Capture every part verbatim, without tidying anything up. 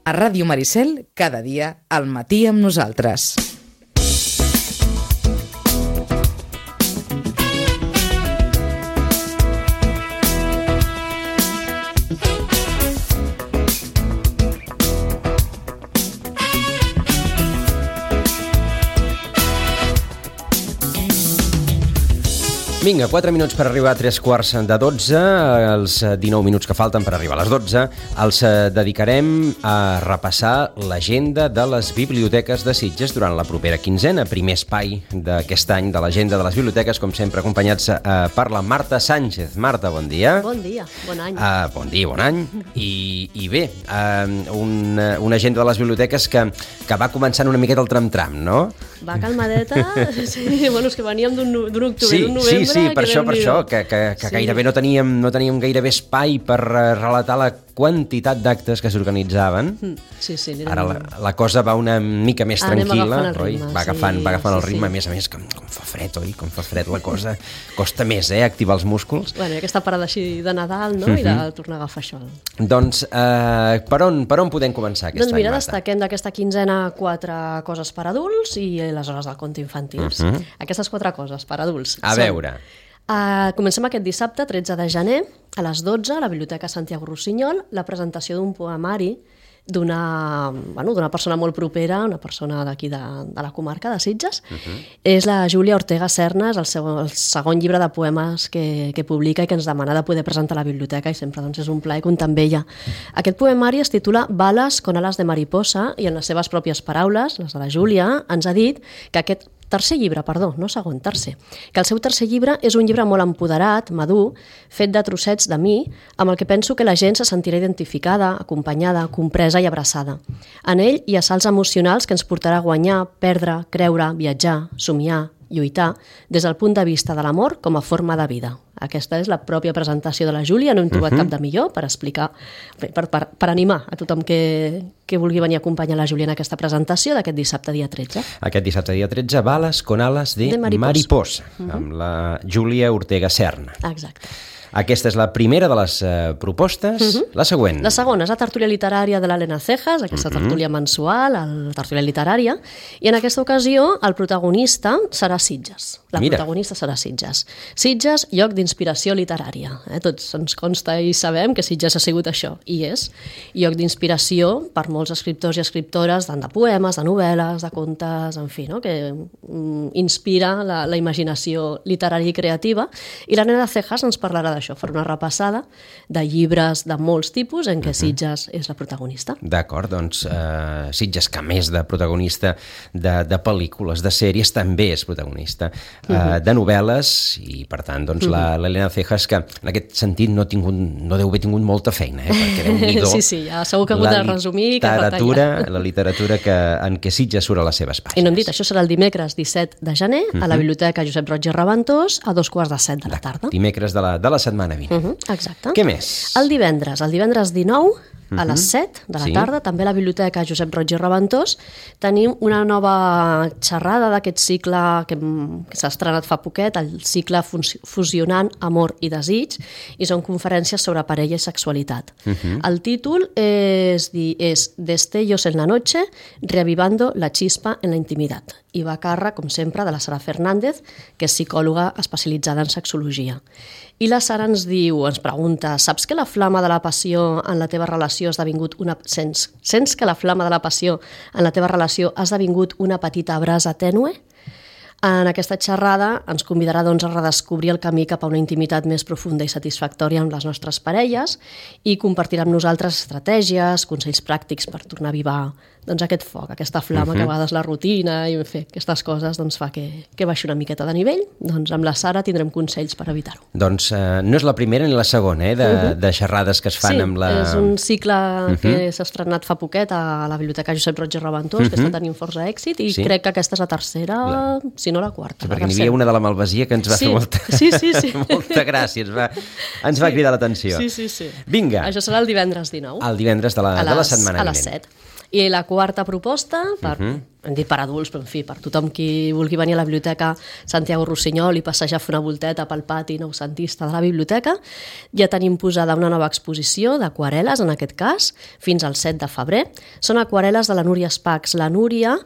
A Ràdio Maricel, cada dia, al matí amb nosaltres. Vinga, quatre minuts per arribar a tres quarts de dotze, els dinou minuts que falten per arribar a les dotze, els dedicarem a repassar l'agenda de les biblioteques de Sitges durant la propera quinzena, primer espai d'aquest any de l'agenda de les biblioteques, com sempre acompanyats eh, per la Marta Sánchez. Marta, bon dia. Bon dia, bon any. Uh, bon dia, bon any. I, i bé, uh, un, una agenda de les biblioteques que, que va començant una miqueta el tram-tram, no? Va calmadeta, sí, bueno, és que veníem d'un octubre, sí, d'un novembre... Sí, sí, per això, per això, que, que, que sí. gairebé no teníem, no teníem gairebé espai per relatar la quantitat d'actes que s'organitzaven. Sí, sí. Ara la, la cosa va una mica més tranquil·la, oi? Ritme, va agafant, sí, va agafant el sí, ritme, sí. a més a més, com, com fa fred, oi? Com fa fred la cosa, costa més, eh, activar els músculs. Bueno, i aquesta parada així de Nadal, no?, uh-huh. i de tornar a agafar això. Doncs, eh, per, on, per on podem començar aquest doncs any, mira, Marta? destaquem d'aquesta quinzena quatre coses per adults i les hores del conte infantils. Uh-huh. Aquestes quatre coses per adults. A són, veure... Uh, comencem aquest dissabte, tretze de gener, a les dotze, a la Biblioteca Santiago Rossinyol, la presentació d'un poemari d'una bueno, d'una persona molt propera, una persona d'aquí de, de la comarca de Sitges. Uh-huh. És la Júlia Ortega Serna, és el, seu, el segon llibre de poemes que, que publica i que ens demana de poder presentar a la biblioteca, i sempre doncs, és un plaer comptar amb ella. Aquest poemari es titula Balas con alas de mariposa, i en les seves pròpies paraules, les de la Júlia, ens ha dit que aquest tercer llibre, perdó, no segon, tercer, que el seu tercer llibre és un llibre molt empoderat, madur, fet de trossets de mi, amb el que penso que la gent se sentirà identificada, acompanyada, compresa i abraçada. En ell hi ha salts emocionals que ens portarà a guanyar, perdre, creure, viatjar, somiar, lluitar, des del punt de vista de l'amor com a forma de vida. Aquesta és la pròpia presentació de la Júlia, no hem trobat uh-huh. cap de millor per explicar, per, per, per animar a tothom que, que vulgui venir a acompanyar la Júlia en aquesta presentació d'aquest dissabte dia tretze. Aquest dissabte dia tretze, Balas con alas de, de mariposa, mariposa uh-huh. amb la Júlia Ortega Serna. Exacte. Aquesta és la primera de les uh, propostes. Uh-huh. La següent. La segona és la tertúlia literària de l'Helena Cejas, aquesta uh-huh. tertúlia mensual, la tertúlia literària, i en aquesta ocasió el protagonista serà Sitges. La Mira. protagonista serà Sitges. Sitges, lloc d'inspiració literària. Eh? Tots ens consta i sabem que Sitges ha sigut això, i és lloc d'inspiració per molts escriptors i escriptores, tant de poemes, de novel·les, de contes, en fi, no? que mm, inspira la, la imaginació literària i creativa, i l'Helena Cejas ens parlarà d'això, farà una repassada de llibres de molts tipus en què Sitges és la protagonista. D'acord, doncs uh, Sitges, que a més de protagonista de, de pel·lícules, de sèries, també és protagonista uh, uh-huh. de novel·les, i per tant doncs, uh-huh. la l'Helena Cejas, que en aquest sentit no, tingut, no deu haver tingut molta feina, eh? perquè Déu-n'hi-do, sí, sí, ja segur que ha hagut de resumir i que literatura, la literatura que, en què Sitges surt a les seves pàgines. I no hem dit, això serà el dimecres disset de gener uh-huh. a la Biblioteca Josep Roig i Raventós a dos quarts de set de la tarda. Dimecres de la, de la setmana vinent. Uh-huh. Exacte. Què més? El divendres, el divendres dinou, a les set de la sí. tarda, també a la Biblioteca Josep Roig i Raventós, tenim una nova xerrada d'aquest cicle que, que s'ha estrenat fa poquet, el cicle Fusionant Amor i Desig, i són conferències sobre parella i sexualitat. Uh-huh. El títol és, és Destellos en la noche, reavivando la chispa en la intimitat, i va a càrrec, com sempre, de la Sara Fernández, que és psicòloga especialitzada en sexologia. I la Sara ens diu, ens pregunta, saps que la flama de la passió en la teva relació ha esdevingut una... Sents, sents que la flama de la passió en la teva relació ha esdevingut una petita brasa tènue? En aquesta xerrada ens convidarà doncs, a redescobrir el camí cap a una intimitat més profunda i satisfactòria amb les nostres parelles i compartirà amb nosaltres estratègies, consells pràctics per tornar a avivar doncs, aquest foc, aquesta flama uh-huh. que a vegades la rutina i en fi, aquestes coses doncs, fa que, que baixi una miqueta de nivell. Doncs amb la Sara tindrem consells per evitar-ho. Doncs uh, no és la primera ni la segona eh, de, uh-huh. de xerrades que es fan sí, amb la... Sí, és un cicle uh-huh. que s'ha estrenat fa poquet a la Biblioteca Josep Roig i Raventós, uh-huh. que està tenint força èxit, i sí. crec que aquesta és la tercera, la... si no la quarta. Sí, perquè n'hi havia una de la Malvasia que ens va sí. fer molta, sí, sí, sí. molta gràcia, ens va, ens va sí. cridar l'atenció. Sí, sí, sí. Vinga. Això serà el divendres dinou. El divendres de la, les, de la setmana vinent. A les set. I la quarta proposta, per, uh Mhm. -huh. hem dit per adults, però en fi, per tothom qui vulgui venir a la Biblioteca Santiago Rossinyol i passejar a fer una volteta pel pati noucentista de la biblioteca, ja tenim posada una nova exposició d'aquarel·les, en aquest cas, fins al set de febrer. Són aquarel·les de la Núria Spacs. La Núria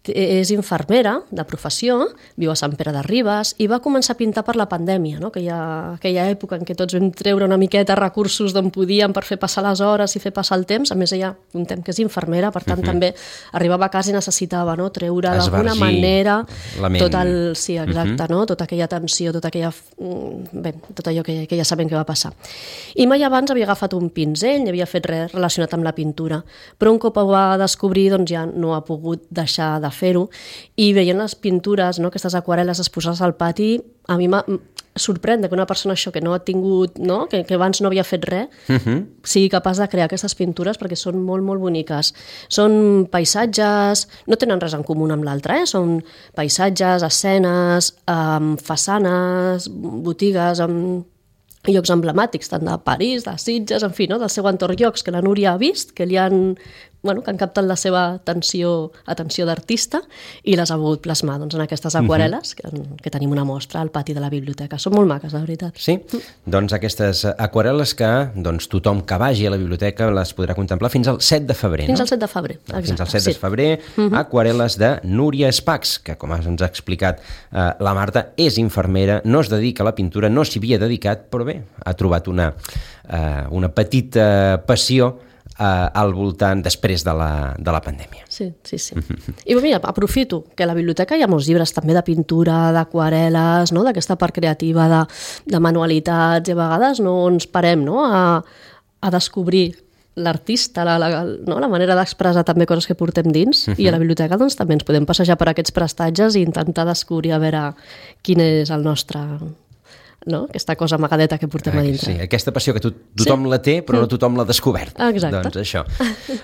és infermera de professió, viu a Sant Pere de Ribes i va començar a pintar per la pandèmia, no? aquella, aquella època en què tots vam treure una miqueta recursos d'on podíem per fer passar les hores i fer passar el temps. A més, ella contem que és infermera, per tant, uh -huh. també arribava a casa i necessitava, no? treure d'alguna manera tot el, sí, exacte, uh -huh. no? tota aquella tensió, tota aquella, bé, tot allò que, que ja sabem que va passar. I mai abans havia agafat un pinzell, ni havia fet res relacionat amb la pintura, però un cop ho va descobrir, doncs ja no ha pogut deixar de fer-ho, i veient les pintures, no, aquestes aquarel·les exposades al pati, a mi em sorprèn que una persona això que no ha tingut, no, que, que abans no havia fet res, uh-huh. sigui capaç de crear aquestes pintures, perquè són molt, molt boniques. Són paisatges, no tenen res en comú amb l'altre, eh? Són paisatges, escenes, um, façanes, botigues, amb llocs emblemàtics, tant de París, de Sitges, en fi, no? del seu entorn, llocs que la Núria ha vist, que li han, bueno, que han captat la seva atenció, atenció d'artista i les ha volgut plasmar doncs, en aquestes aquarel·les, uh -huh. que, que tenim una mostra al pati de la biblioteca. Són molt maques, la veritat. Sí? Mm. Doncs aquestes aquarel·les que doncs, tothom que vagi a la biblioteca les podrà contemplar fins al set de febrer, Fins no? al set de febrer, exacte. Fins al set de febrer, sí. uh -huh. aquarel·les de Núria Spacs, que com ens ha explicat eh, la Marta, és infermera, no es dedica a la pintura, no s'hi havia dedicat, però bé, ha trobat una, eh, una petita passió eh, al voltant després de la, de la pandèmia. Sí, sí, sí. I mira, aprofito que a la biblioteca hi ha molts llibres també de pintura, d'aquarel·les, no? d'aquesta part creativa de, de manualitats, i a vegades no ens parem no? a, a descobrir l'artista, la, la, no? la manera d'expressar també coses que portem dins, uh -huh. i a la biblioteca doncs, també ens podem passejar per aquests prestatges i intentar descobrir a veure quin és el nostre... no? aquesta cosa amagadeta que portem a dintre. Sí, aquesta passió que to tothom sí. la té, però no tothom l'ha descobert. Exacte. Doncs això,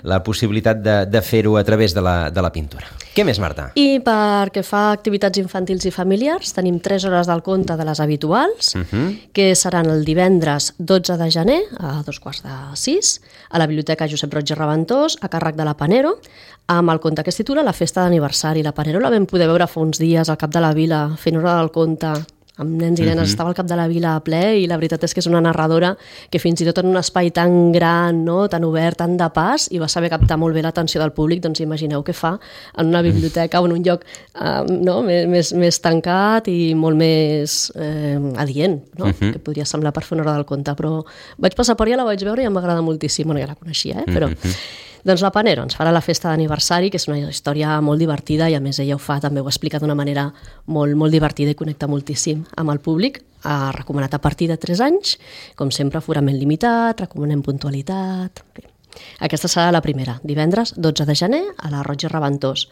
la possibilitat de, de fer-ho a través de la, de la pintura. Què més, Marta? I perquè fa activitats infantils i familiars, tenim tres hores del conte de les habituals, uh -huh. que seran el divendres dotze de gener, a dos quarts de sis, a la Biblioteca Josep Roig i Reventós, a càrrec de la Panero, amb el conte que es titula La festa d'aniversari. La Panero la vam poder veure fa uns dies al cap de la vila, fent hora del conte, amb nens i nenes, uh-huh. estava al cap de la vila a ple, i la veritat és que és una narradora que fins i tot en un espai tan gran, no? tan obert, tan de pas, i va saber captar molt bé l'atenció del públic. Doncs imagineu què fa en una biblioteca o en un lloc eh, no? més, més tancat i molt més eh, adient, no? uh-huh. que podria semblar per fer una hora del conte, però vaig passar per allà, la vaig veure i em va agradar moltíssim. Bueno, ja la coneixia, eh? però... Uh-huh. Doncs la Panero ens farà la festa d'aniversari, que és una història molt divertida, i a més ella ho fa, també ho explica d'una manera molt, molt divertida i connecta moltíssim amb el públic. Ha recomanat a partir de tres anys, com sempre, aforament limitat, recomanem puntualitat... Bé. Aquesta serà la primera, divendres dotze de gener a la Roig i Reventós.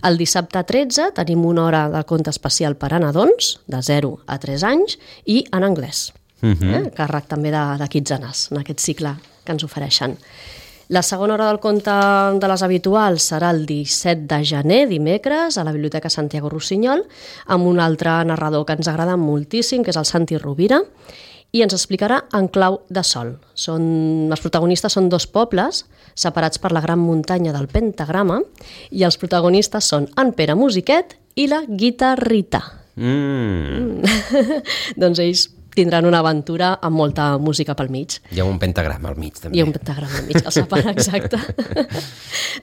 El dissabte tretze tenim una hora del conte especial per a nadons, de zero a tres anys, i en anglès. Uh-huh. eh? Càrrec també de, de Kitzanes, en aquest cicle que ens ofereixen. La segona hora del conte de les habituals serà el disset de gener, dimecres, a la Biblioteca Santiago Rossinyol, amb un altre narrador que ens agrada moltíssim, que és el Santi Rovira, i ens explicarà En clau de sol. Són, els protagonistes són dos pobles separats per la gran muntanya del Pentagrama, i els protagonistes són en Pere Musiquet i la Guitarrita. Mm. Doncs ells tindran una aventura amb molta música pel mig. Hi ha un pentagrama al mig, també. Hi ha un pentagrama al mig, el separa, exacte.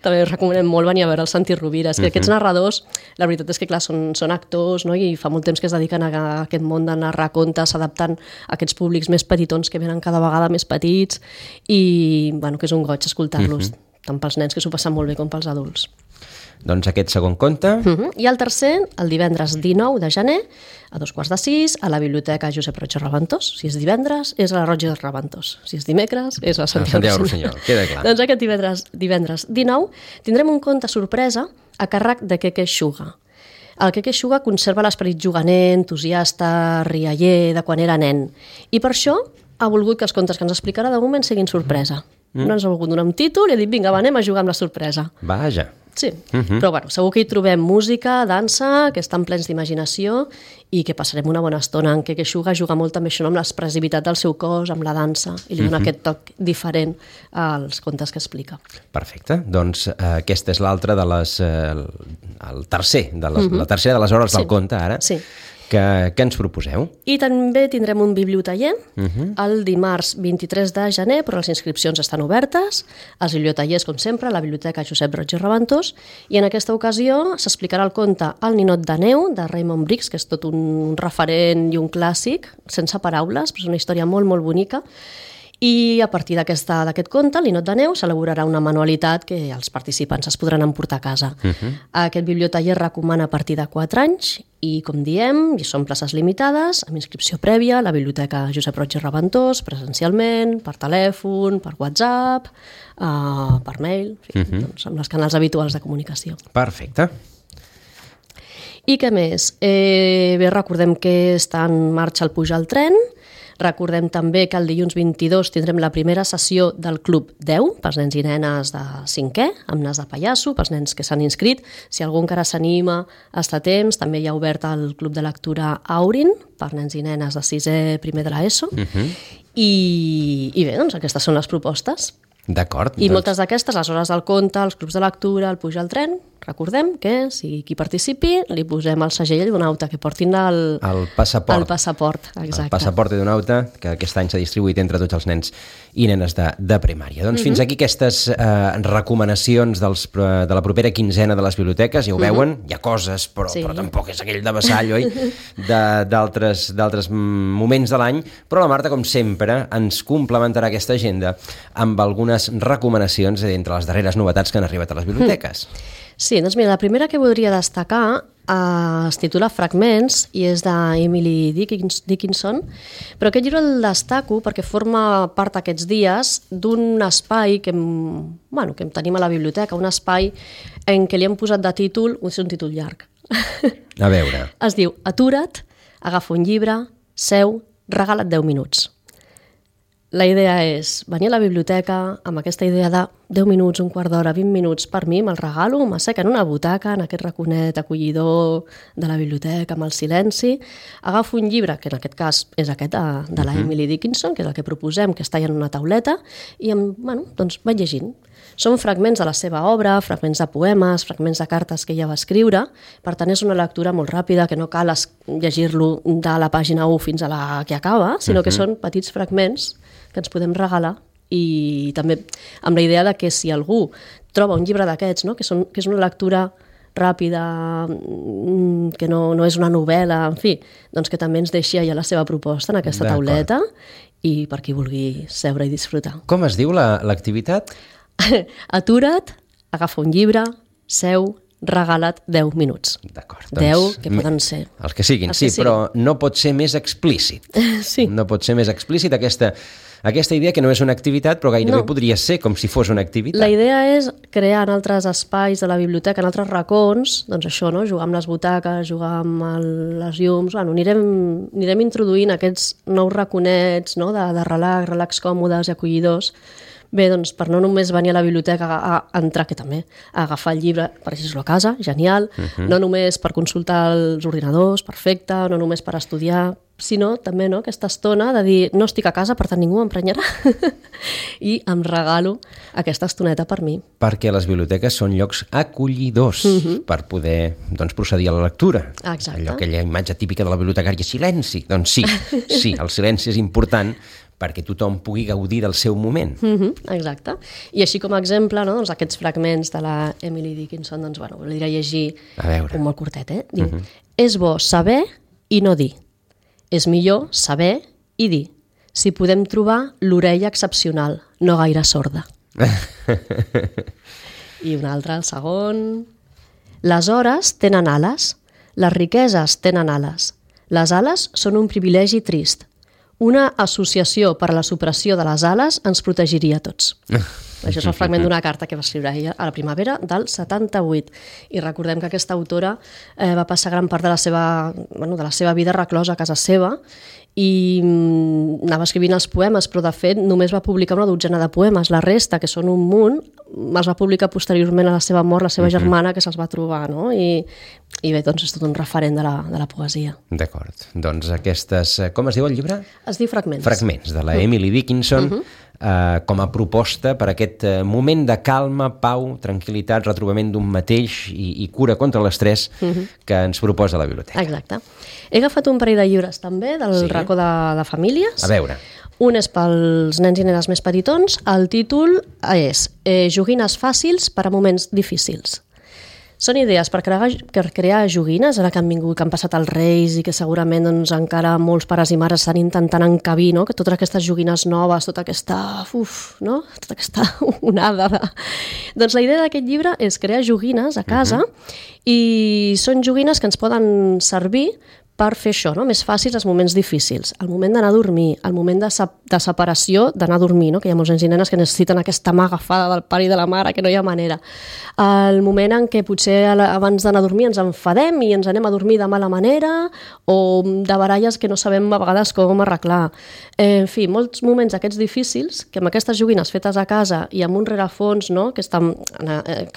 També us recomanem molt venir a veure el Santi Rovira. És que uh -huh. aquests narradors, la veritat és que, clar, són, són actors, no? I fa molt temps que es dediquen a, a aquest món de narrar contes, adaptant a aquests públics més petitons que venen cada vegada més petits, i, bueno, que és un goig escoltar-los, uh -huh. tant pels nens, que s'ho passen molt bé, com pels adults. Doncs aquest segon conte. Uh-huh. I el tercer, el divendres dinou de gener, a dos quarts de sis, a la Biblioteca Josep Roig i Reventós. Si és divendres, és a la Roig i Reventós. Si és dimecres, és a Santiago, Santiago Rossinyol. Queda clar. Doncs aquest divendres, divendres dinou tindrem un conte sorpresa a càrrec de Keke Xuga. El Keke Xuga conserva l'esperit juganer, entusiasta, rialler, de quan era nen. I per això ha volgut que els contes que ens explicarà de moment siguin sorpresa. Mm. No ens ha volgut donar un títol i ha dit, vinga, va, anem a jugar amb la sorpresa. Vaja. Sí, uh-huh. Però bueno, segur que hi trobem música, dansa, que estan plens d'imaginació i que passarem una bona estona en què Queixuga juga molt també això amb l'expressivitat del seu cos, amb la dansa, i li dona uh-huh. aquest toc diferent als contes que explica. Perfecte, doncs eh, aquesta és l'altra de les... Eh, el tercer, de les, uh-huh. la tercera de les hores sí. del conte ara. Sí. Que, que ens proposeu? I també tindrem un bibliotaller uh-huh. el dimarts vint-i-tres de gener, però les inscripcions estan obertes. Els bibliotallers, com sempre, a la Biblioteca Josep Roig i Reventós, i en aquesta ocasió s'explicarà el conte El ninot de neu, de Raymond Briggs, que és tot un referent i un clàssic, sense paraules, però és una història molt, molt bonica. I a partir d'aquest conte, el ninot de neu, s'elaborarà una manualitat que els participants es podran emportar a casa. Uh-huh. Aquest bibliotaller recomana a partir de quatre anys i, com diem, hi són places limitades, amb inscripció prèvia a la Biblioteca Josep Roig i Reventós, presencialment, per telèfon, per WhatsApp, uh, per mail, en fi, uh-huh. doncs, amb els canals habituals de comunicació. Perfecte. I què més? Eh, bé, recordem que està en marxa el Puja al tren. Recordem també que el dilluns vint-i-dos tindrem la primera sessió del Club deu, pels nens i nenes de cinquè, amb nas de pallasso, pels nens que s'han inscrit. Si algú encara s'anima a estar a temps, també hi ha obert el Club de Lectura Aurin, per nens i nenes de sisè, primer de l'ESO. Uh-huh. I, I bé, doncs aquestes són les propostes. D'acord. I doncs... moltes d'aquestes, les hores del conte, els clubs de lectura, el Puja al tren, recordem que si qui participi li posem el segell d'un auta, que portin el, el passaport. El passaport, exacte. El passaport d'un auta, que aquest any s'ha distribuït entre tots els nens i nenes de, de primària. Doncs uh-huh. fins aquí aquestes eh, recomanacions dels, de la propera quinzena de les biblioteques, ja ho uh-huh. veuen, hi ha coses, però, sí. però tampoc és aquell de vassall, oi? D'altres d'altres moments de l'any, però la Marta, com sempre, ens complementarà aquesta agenda amb algunes recomanacions entre les darreres novetats que han arribat a les biblioteques. Mm. Sí, doncs mira, la primera que voldria destacar eh, es titula Fragments i és d'Emily Dickinson, però aquest llibre el destaco perquè forma part aquests dies d'un espai que, bueno, que tenim a la biblioteca, un espai en què li hem posat de títol, és un títol llarg. A veure. Es diu Atura't, agafa un llibre, seu, regala't deu minuts. La idea és venir a la biblioteca amb aquesta idea de deu minuts, un quart d'hora, vint minuts, per mi me'l regalo, m'assec en una butaca, en aquest raconet acollidor de la biblioteca, amb el silenci, agafo un llibre, que en aquest cas és aquest de, de la Emily Dickinson, que és el que proposem, que està en una tauleta, i em, bueno, doncs vaig llegint. Són fragments de la seva obra, fragments de poemes, fragments de cartes que ella va escriure, per tant és una lectura molt ràpida, que no cal llegir-lo de la pàgina u fins a la que acaba, sinó que són petits fragments que ens podem regalar, i també amb la idea de que si algú troba un llibre d'aquests, no? que, són, que és una lectura ràpida, que no, no és una novel·la, en fi, doncs que també ens deixi allà la seva proposta en aquesta tauleta i per qui vulgui seure i disfrutar. Com es diu l'activitat? Atura't, agafa un llibre, seu, regala't deu minuts. D'acord. deu, que poden ser. Els que siguin, els sí, que siguin. però no pot ser més explícit. Sí. No pot ser més explícit aquesta, aquesta idea que no és una activitat, però gairebé no. podria ser com si fos una activitat. La idea és crear en altres espais de la biblioteca, en altres racons, doncs això, no? Jugar amb les butaques, jugar amb el, les llums, bueno, anirem, anirem introduint aquests nous raconets, no? de, de relax, relax còmodes i acollidors. Bé, doncs per no només venir a la biblioteca a, a entrar, que també, a agafar el llibre, per llegir-lo a casa, genial, uh-huh. no només per consultar els ordinadors, perfecte, no només per estudiar, sinó també no, aquesta estona de dir no estic a casa, per tant ningú m'emprenyarà i em regalo aquesta estoneta per mi. Perquè les biblioteques són llocs acollidors uh-huh. per poder doncs, procedir a la lectura. Exacte. Allò, aquella imatge típica de la bibliotecària, silenci. Doncs sí, sí, el silenci és important perquè tothom pugui gaudir del seu moment. Uh-huh, exacte. I així com a exemple, no, doncs aquests fragments de la Emily Dickinson, doncs, bueno, voldria llegir un molt curtet, eh? Diu, uh-huh. és bo saber i no dir. És millor saber i dir. Si podem trobar l'orella excepcional, no gaire sorda. I un altre, el segon. Les hores tenen ales, les riqueses tenen ales. Les ales són un privilegi trist. Una associació per a la supressió de les ales ens protegiria a tots. Això és el fragment d'una carta que va escriure ella a la primavera del setanta-vuit. I recordem que aquesta autora eh, va passar gran part de la seva, bueno, de la seva vida reclosa a casa seva i anava escrivint els poemes, però de fet només va publicar una dotzena de poemes. La resta, que són un munt, els va publicar posteriorment a la seva mort la seva uh-huh. germana, que se'ls va trobar, no? I, i bé, doncs és tot un referent de la, de la poesia. D'acord. Doncs aquestes... Com es diu el llibre? Es diu Fragments. Fragments, de la Emily Dickinson, uh-huh. eh, com a proposta per aquest moment de calma, pau, tranquil·litat, retrobament d'un mateix i, i cura contra l'estrès uh-huh. que ens proposa la biblioteca. Exacte. He agafat un parell de llibres també del sí. racó de, de famílies. A veure. Un és pels nens i nenes més petitons. El títol és eh, Joguines fàcils per a moments difícils. Són idees per crear, per crear joguines, ara que han vingut, que han passat els Reis i que segurament doncs, encara molts pares i mares estan intentant encabir, no? Que totes aquestes joguines noves, tota aquesta, uf, no? Tota aquesta onada de... Doncs la idea d'aquest llibre és crear joguines a casa uh-huh. i són joguines que ens poden servir per fer això, no? Més fàcils els moments difícils, el moment d'anar a dormir, el moment de, sep de separació d'anar a dormir, no? Que hi ha molts nens i nenes que necessiten aquesta mà agafada del pare i de la mare, que no hi ha manera. El moment en què potser abans d'anar a dormir ens enfadem i ens anem a dormir de mala manera, o de baralles que no sabem a vegades com arreglar. Eh, en fi, molts moments aquests difícils, que amb aquestes joguines fetes a casa i amb un rerefons, no? Que estan,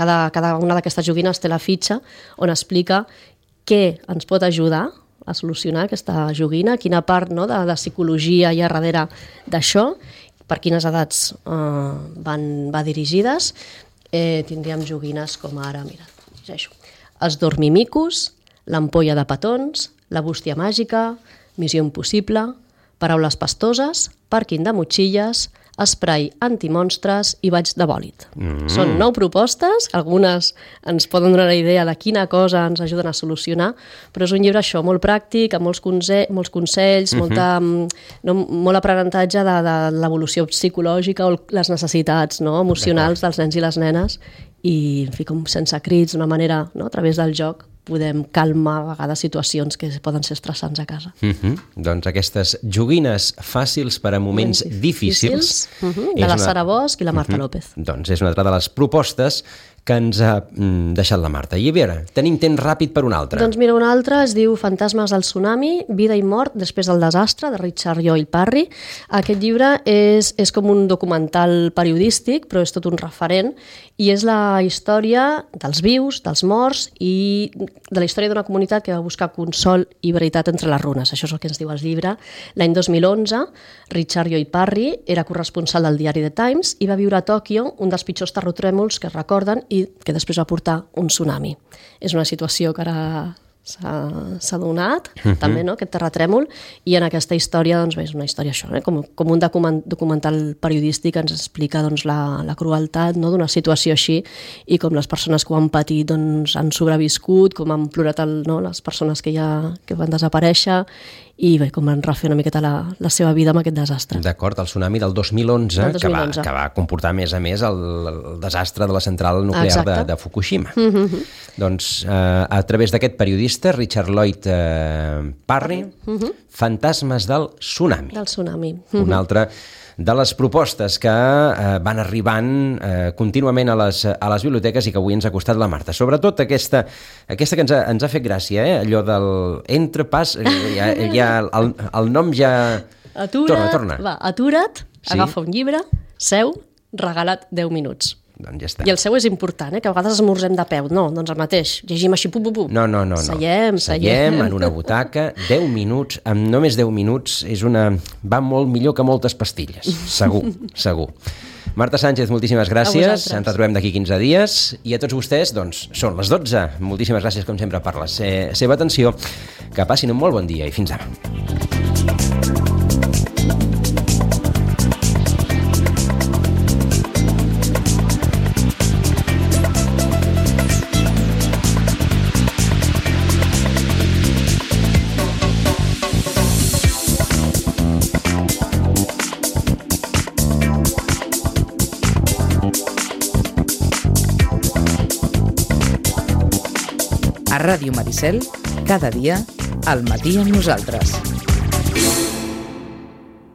cada, cada una d'aquestes joguines té la fitxa on explica què ens pot ajudar a solucionar aquesta joguina, quina part no, de, de psicologia hi ha darrere d'això, per quines edats eh, van, va dirigides. Eh, tindríem joguines com ara, mira, llegeixo, els dormimicos, l'ampolla de petons, la bústia màgica, missió impossible, paraules pastoses, pàrquing de motxilles, esprai antimonstres i baix de bòlit. Mm. Són nou propostes, algunes ens poden donar la idea de quina cosa ens ajuden a solucionar, però és un llibre això, molt pràctic, amb molts, conse molts consells, mm-hmm. molta, no, molt aprenentatge de, de l'evolució psicològica o les necessitats no, emocionals dels nens i les nenes i, en fi, com sense crits, d'una manera, no, a través del joc, podem calmar a vegades situacions que poden ser estressants a casa. Uh-huh. Doncs aquestes joguines fàcils per a moments difícils, difícils uh-huh. de la una... Sara Bosch i la Marta uh-huh. López. Doncs és una altra de les propostes que ens ha mm, deixat la Marta. I a veure, tenim temps ràpid per un altre. Doncs mira, un altre es diu Fantasmes del tsunami, vida i mort després del desastre, de Richard Lloyd Parry. Aquest llibre és, és com un documental periodístic, però és tot un referent, i és la història dels vius, dels morts, i de la història d'una comunitat que va buscar consol i veritat entre les runes. Això és el que ens diu el llibre. L'any dos mil onze, Richard Lloyd Parry era corresponsal del diari The Times i va viure a Tòquio un dels pitjors terratrèmols que es recorden i que després va portar un tsunami. És una situació que ara s'ha donat, uh-huh. també, no?, aquest terratrèmol, i en aquesta història, doncs, bé, és una història això, eh? com, com un document, documental periodístic que ens explica doncs, la, la crueltat no?, d'una situació així i com les persones que ho han patit doncs, han sobreviscut, com han plorat el, no?, les persones que ja que van desaparèixer i bé, com van refer una miqueta la, la seva vida amb aquest desastre. D'acord, el tsunami del dos mil onze, del dos mil onze. Que, va, que va comportar a més a més el, el desastre de la central nuclear de, de Fukushima. Mm-hmm. Doncs eh, a través d'aquest periodista, Richard Lloyd eh, Parry, mm-hmm. Fantasmes del tsunami. Del tsunami. Mm-hmm. Una altra de les propostes que eh, van arribant eh, contínuament a les, a les biblioteques i que avui ens ha costat la Marta. Sobretot aquesta, aquesta que ens ha, ens ha fet gràcia, eh? Allò del entrepàs, ja, ja, el, el nom ja... Atura't, torna, torna. Va, atura't, sí? Agafa un llibre, seu, regala't deu minuts. Doncs ja està. I el seu és important, eh? Que a vegades esmorzem de peu. No, doncs el mateix. Llegim així, pum, pum, pum. No, no, no. Seiem, no. Seiem. Seiem en una butaca, deu minuts, amb només deu minuts, és una... va molt millor que moltes pastilles. Segur, segur. Marta Sánchez, moltíssimes gràcies. Ens retrobem d'aquí quinze dies. I a tots vostès, doncs, són les dotze. Moltíssimes gràcies, com sempre, per la se- seva atenció. Que passin un molt bon dia i fins demà. A Ràdio Maricel, cada dia, al matí amb nosaltres.